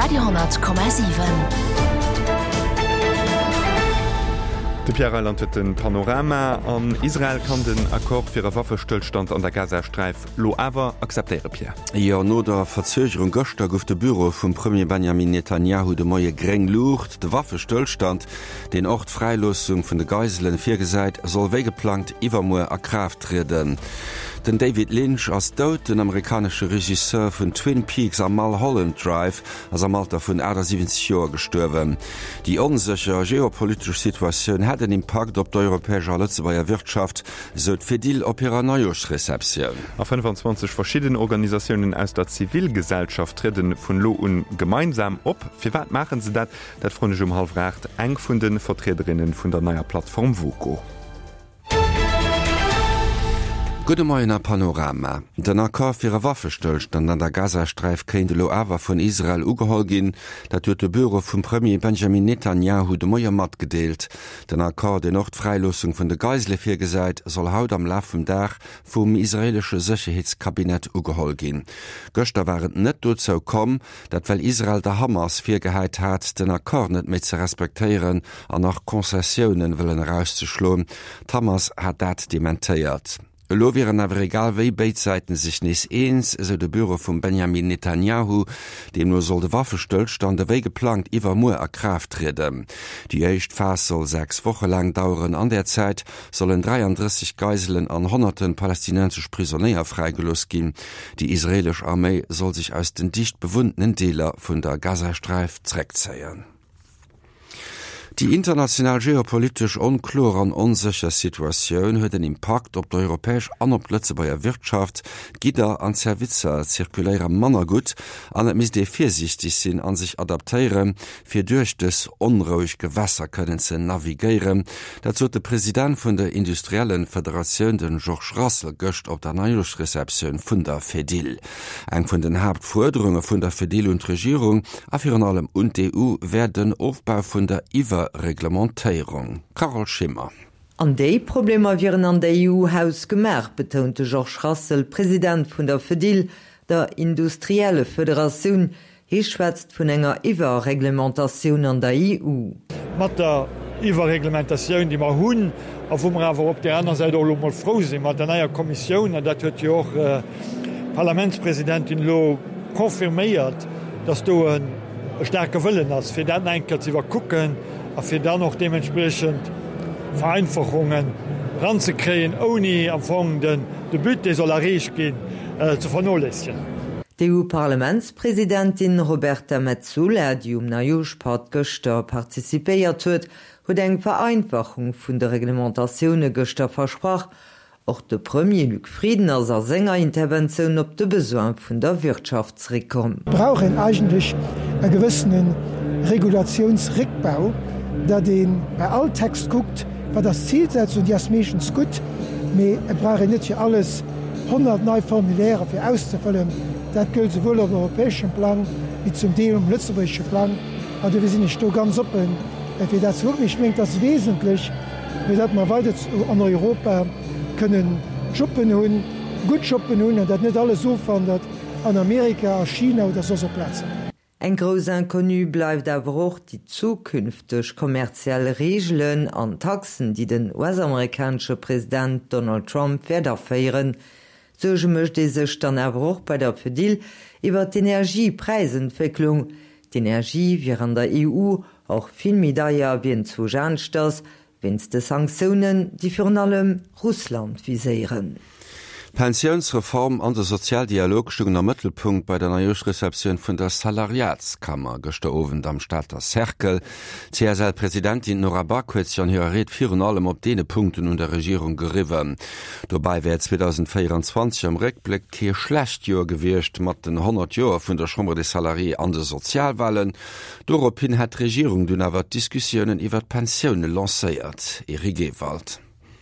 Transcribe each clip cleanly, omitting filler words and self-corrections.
Radio,7. De Pierre Reyland huet den Panorama. An Israel kann den Accord fir e Waffestëllstand an der Gazasträif lo awer akzeptéiere, Pierre. Jo, no der Verzögerung gëschter gouf de Büro vum Premier Benjamin Netanjahu de Moie gréng Luucht. De Waffestëllstand, deen och d'Fräiloossung vun de Geiselen virgesäit, soll wéi geplangt iwwermuer a Kraaft trieden. Den David Lynch ass dout. Den amerikanesche Regisseur vun Twin Peaks a Mulholland Drive ass am Alter vun 78 Joer gestuerwen. Déi onsécher geopolitesch Situatioun hätt en Impakt op d'europäesch a Lëtzebuerger Wirtschaft, sou d'Fedil op hirer Neijooschreceptioun. A 25 verschidden Organisatiounen aus der Zivilgesellschaft trieden vun elo un gemeinsam op. Firwat maachen se dat? Dat froen ech um hallwer 8 eng vun de Vertriederinne vun der neier Plattform Woko. Gudde Moien a Panorama. Den Accord fir e Waffestëllstand an der Gazasträif kéint elo awer vun Israel ugeholl ginn. Dat huet de Büro vum Premier Benjamin Netanjahu de Moie matgedeelt. Den Accord, deen och d'Fräiloossung vun de Geisele virgesäit, soll haut am Laf vum Dag vum israeelesche Sécherheetscabinet ugeholl ginn. Gëschter war et net dozou komm, Dat well Israel der Hamas virgehäit hat, den Accord net méi ze respektéieren an nach Concessiounen wëllen erauszeschloen. D'Hamas hat dat dementéiert. Elo wieren awer egal wéi béid Säiten sech nees eens, esou de Büro vum Benjamin Netanjahu. Deemno soll de Waffestëllstand ewéi geplangt iwwermuer a Kraaft trieden. Déi éischt Phas soll 6 Woche laang daueren. An där Zäit sollen 33 Geiselen an honnerte palästinensesch Prisonéier fräigelooss ginn. Déi israeelesch Arméi soll sech aus den dicht bewunntenen Deeler vun der Gazasträif zeréckzéien. Déi international geopolitesch onkloer an onsécher Situatioun huet en Impakt op d'europäesch an op d'Lëtzebuerger Wirtschaft. D'Gidder an d'Servicer zirkuléiere manner gutt an et misst ee virsiichteg sinn a sech adaptéieren, fir duerch dës onroueg Gewässer kënnen ze navigéieren. Dat sot de President vun der Industriellenfederatioun, de Georges Rassel, gëscht op der Neijooschreceptioun vun der Fedil. Eng vun den Haaptfuerderunge vun der Fedil un d'Regierung a virun allem un d'EU wär den Ofbau vun der Iwwerreglementéierung. Carole Schimmer. An déi Problemer wieren an der EU hausgemaach, betount de Georges Rassel, President vun der Fedil, der Industriellefederatioun, Hie schwätzt vun enger Iwwerreglementatioun an der EU. Mat der Iwwerreglementatioun, déi mer hunn a wou mer awer op där aner Säit och elo emol frou sinn, mat der neier Kommissioun, an dat huet jo och d'Parlamentspresidentin elo confirméiert, dass do e staarke Wëllen ass, fir dat nach eng Kéier ze iwwerkucken a fir dann och deementspriechend Vereinfachungen eranzekréien, ouni am Fong de But, dee soll erreecht ginn, ze vernoléissegen. D'EU-Parlamentspresidentin Roberta Metsola, déi um Neijooschpatt gëschter participéiert huet, huet eng Vereinfachung vun de Reglementatioune gëschter versprach. Och de Premier Luc Frieden ass a senger Interventioun op de Besoin vun der Wirtschaft zeréckkomm. Brauch een eigentlech e gewëssene Regulatiounsréckbau, datt ee bei all Text kuckt, wat ass d'Zilsetzung, déi ass meeschtens gutt, mee et brauch een net fir alles 100 nei Formulaire fir auszefëllen. Dat gëllt souwuel op europäeschem Plang wéi zum Deel um lëtzebuergesche Plang. An dofir sinn ech do ganz oppen, fir dat ze kucken. Ech mengen, et ass wesentlech, fir datt mer weider an Europa kënnen Jobben hunn, gutt Jobben hunn, an datt net alles ofwandert an Amerika, a China oder soss op Plazen. Eng grouss Inconnue bleift awer och déi zukünfteg kommerziell Reegelen an Taxen, déi den US-amerikanesche President Donald Trump wäert aféieren. Suerge mécht ee sech dann awer och bei der Fedil iwwer d'Energiepräisentwécklung. D'Energie wier an der EU och vill méi deier wéi enzwousch aneschters, Wéinst de Sanktiounen, déi virun allem Russland viséieren. D'Pensiounsreform an de Sozialdialog stungen am Mëttelpunkt bei der Neijooschreceptioun vun der Salariatskammer gëschter Owend am Stater Cercle. D'CSL-Presidentin Nora Back huet sech an hirer Ried virun allem op deene Punkten un der Regierung geriwwen. Dobäi wär 2024 am Réckbléck kee schlecht Joer gewiescht, mat den 100 Joer vun der Chambre des Salariés an de Sozialwalen. Dorop hin hätt d'Regierung dunn awer d'Diskussiounen iwwer d'Pensioune lancéiert. Eric Ewald.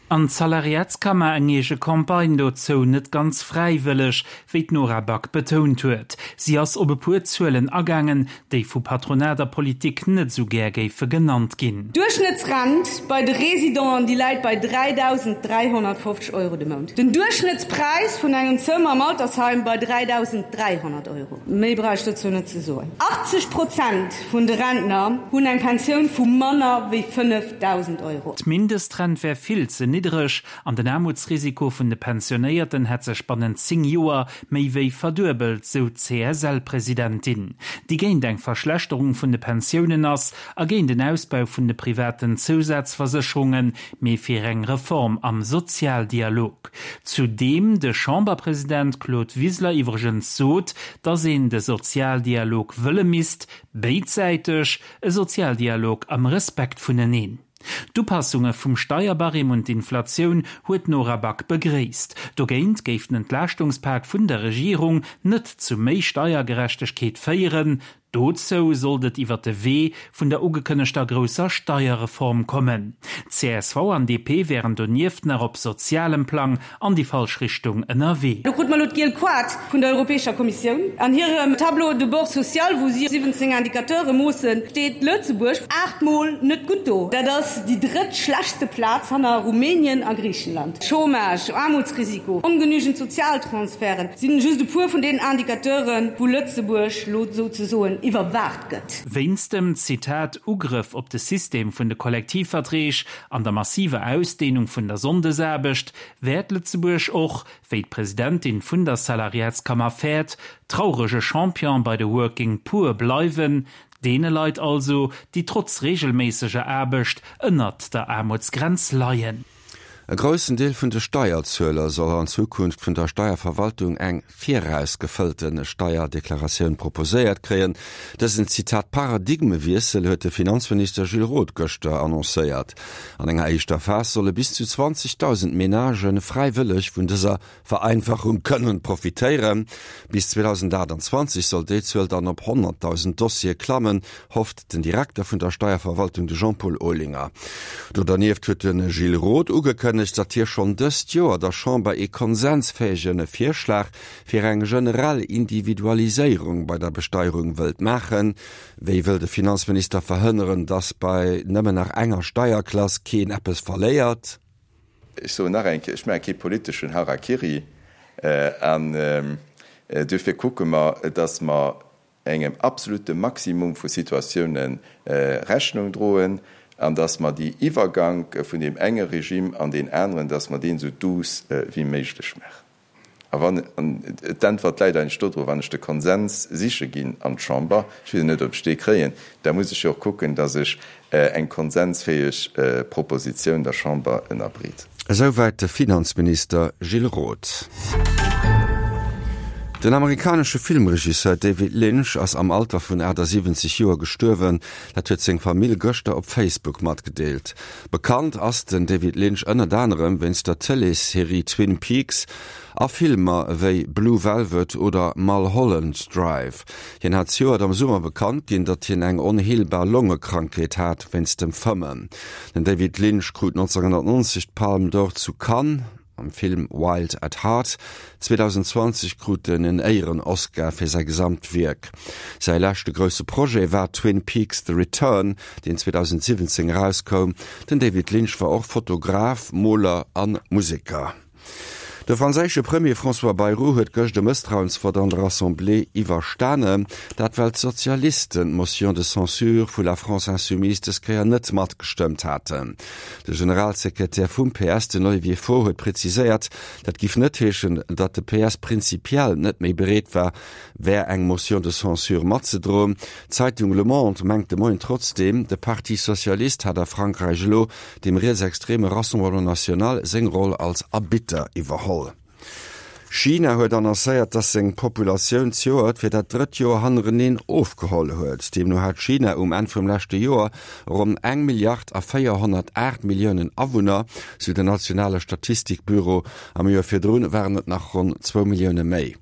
An d'Salariatskammer eng eege Campagne dozou, net ganz fräiwëlleg, wéi d'Nora Back betount huet. Si ass op e puer Zuelen agaangen, déi vu Patronat a Politik net esou gär géife genannt ginn. D'Duerchschnëttsrent bei de Residenten, déi läit bei 3.350 Euro de Mount. Den Duerchschnëttspräis vun engem Zëmmer am Altersheim bei 3.300 Euro. Méi brauch ech dozou net ze soen. 80 Prozent vun de Rentner hunn eng Pensioun vu manner wéi 5.000 Euro. D'Mindestrent wär vill ze niddereg an den Aarmutsrisiko vun de Pensionéierten hätt sech bannent 10 Joer méi wéi verduebelt, sou d'CSL-Presidentin, déi géint eng Verschlechterung vun de Pensiounen ass a géint en Ausbau vun de privaten Zousazversécherungen, mee fir eng Reform am Sozialdialog. Zu deem de Chamberpresident Claude Wiseler iwwregens sot, datt een de Sozialdialog wëlle misst, béidsäiteg, e Sozialdialog am Respekt vuneneen. D'Upassunge vum Steierbarème un d'Inflatioun huet d'Nora Back begréisst. Dogéint géif den Entlaaschtungspak vun der Regierung net zu méi Steiergerechtegkeet féieren. Dozou sollt et iwwer de Wee vun der ugekënnegter grousser Steierreform kommen. Csv an DP wären donieft nach op sozialem Plang an déi falsch Richtung ënnerwee. Do krute mer elo d'giel Koart vun der Europäescher Kommissioun. An hirem Tableau de bord social, wou si 17 Indicateure moossen, steet Lëtzebuerg 8 Mol net gutt do. Dat ass déi drëtt schlechtste Plaz hanner Rumänien a Griichenland. Chômage, Aarmutsrisiko, ongenügend Sozialtransferten sinn just e puer vun deenen Indicateuren, wou Lëtzebuerg lo souzesoen iwwerwaacht gëtt. Wéinst dem, Zitat, Ugrëff op de System vun de Kollektivverträg an der massiver Ausdehnung vun der Sonndesaarbecht wäert Lëtzebuerg och, wéi d'Presidentin vun der Salariatskammer fäert, traurege Champion bei de Working Poor bleiwen, deene Leit also, déi trotz reegelméisseger Aarbecht ënnert der Aarmutsgrenz leien. E groussen Deel vun de Steierzueler soll an Zukunft vun der Steierverwaltung eng virausgefëllte Steierdeklaratioun proposéiert kréien. Dësen, Zitat, Paradigmewiessel huet de Finanzminister Gilles Roth gëschter annoncéiert. An enger éischter Phas solle bis zu 20.000 Menagë fräiwëlleg vun dëser Vereinfachung kënnen profitéieren. Bis 2028 soll déi Zuel dann op 100.000 Dossiere klammen, hofft den Direkter vun der Steierverwaltung, de Jean-Paul Olinger. Do dernieft huet de Gilles Roth ugekënnegt, datt hie schonn dëst Joer der Chamber ee konsensfäege Virschlag fir eng generell Individualiséierung bei der Besteierung wëllt maachen. Wéi wëll de Finanzminister verhënneren, datt bei nëmmen nach enger Steierklass keen eppes verléiert? Ech soen nach eng Kéier, ech maache kee politeschen Harakiri. An duerfir kucke mer, dass mer engem absolute Maximum vu Situatioune Rechnung droen an dass mer déi Iwwergank vun deem enge Regime an deen aneren, dass mer deen esou douce wéi méiglech maachen. A wann, an d'Äntwert läit eigentlech dodru, wann ech de Konsens siche ginn an d'Chamber, ech weess net, ob ech dee kréien, da muss ech jo och kucken, datt ech eng konsensfäeg Propositioun der Chamber ënnerbreet. Esouwäit de Finanzminister Gilles Roth. Den amerikanesche Filmregisseur David Lynch ass am Alter vun 78 Joer gestuerwen. Dat huet seng Famill gëschter op Facebook matgedeelt. Bekannt ass den David Lynch ënnert anerem wéinst der Tëleesserie Twin Peaks a Filmer ewéi Blue Velvet oder Mulholland Drive. Hien hat zejoert am Summer bekannt ginn, datt hien eng onheelbar Longekrankheet hat wéinst dem Fëmmen. Den David Lynch krut 1990 d'Palme d'Or zu Cannes. Am Film Wild at Heart 2020 krut en en Éieren-Oscar fir säi Gesamtwierk. Säi leschte grousse Projet war Twin Peaks, The Return, deen 2017 erauskoum. Den David Lynch war och Fotograf, Moler a Museker. De franséische Premier François Bayrou huet gëscht e Mësstrauensvott an der Assemblée iwwerstanen. Dat well d'Sozialisten d'Motion de censure vu La France Insoumise dës Kéier net matgestëmmt haten. De Generalsekretär vum PS, den Olivier Faure, huet präziséiert, dat giff net heeschen, datt de PS prinzipiell net méi bereet war wär eng Motion de censure matzedroen. D'Zeitung Le Monde mengt de Moien trotzdeem, de Parti Socialiste hat a Frankräich elo dem rietsextreme Rassemblement National seng Roll als Arbitter iwwerholl. China huet annoncéiert, dass seng Populatioun zejoert fir dat drëtt Joer hannereneen ofgeholl huet. Deemno hat China um Enn vum leschte Joer ronn eng Milliard a 408 Milliounen Awunner, sou den nationale Statistikbüro. Am Joer virdrun waren et nach ronn zwou Millioune méi.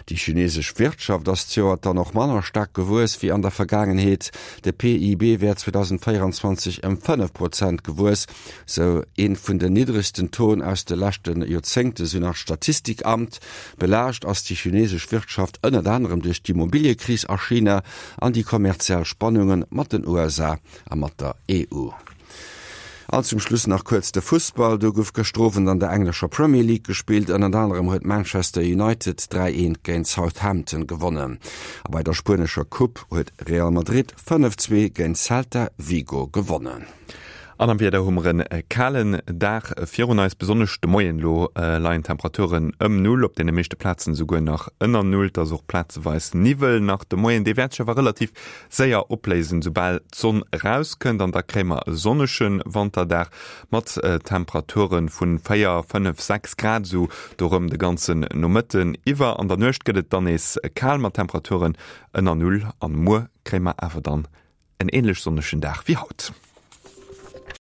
Déi chinesesch Wirtschaft ass zejoert dann och manner staark gewuess wéi an der Vergaangenheet. De PIB wär 2024 ëm 5 Prozent gewuess, sou ee vun den niddregsten Tauxen aus de leschte Joerzéngte, sou nach d'Statistikamt. Belaascht ass déi chinesesch Wirtschaft ënnert anerem duerch d'Immobiliëkris a China an déi kommerziell Spannunge mat den USA a mat der EU. An zum Schluss nach kuerz de Fussball, Do gouf gëschter Owend an der englescher Premier League gespillt. Ënnert anerem huet Manchester United 3, 1 géint Southampton gewonnen. A bei der spuenescher Coupe huet Real Madrid 5, 2 géint Celta Vigo gewonnen. An am Wieder hu mer e kalen Dag virun eis, besonnesch de Moien. Elo leien d'Temperaturen ëm Null, op deene meeschte Plazen esouguer nach ënner Null. Et ass och plazeweis Niwwel nach de Moien, dee wäert sech awer relativ séier opléisen, soubal d'Sonn erauskënnt an da kréie mer e sonnege Wanterdag mat Temperature vu 4, 5, 6 Grad esou dorëm de ganzen Nomëtten iwwer. An der Nuecht gëtt et dann nees kal mat Temperaturen ënner Null an muer kréie mer awer dann en änlech sonnegen Dag wéi haut.